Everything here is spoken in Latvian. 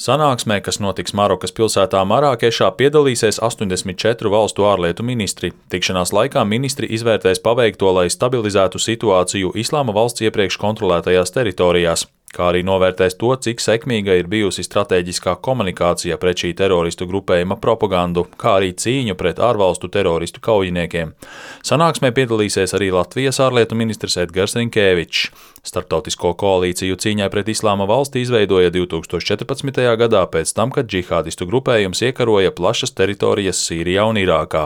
Sanāksmē, kas notiks Marokas pilsētā Marākešā, piedalīsies 84 valstu ārlietu ministri. Tikšanās laikā ministri izvērtēs paveikto, lai stabilizētu situāciju Islāma valsts iepriekš kontrolētajās teritorijās, kā arī novērtēs to, cik sekmīga ir bijusi stratēģiskā komunikācija pret šī teroristu grupējuma propagandu, kā arī cīņu pret ārvalstu teroristu kaujiniekiem. Sanāksmē piedalīsies arī Latvijas ārlietu ministrs Edgars Rinkēvičs. Starptautisko koalīciju cīņai pret Islāma valsti izveidoja 2014. gadā pēc tam, kad džihādistu grupējums iekaroja plašas teritorijas Sīrijā un Irākā.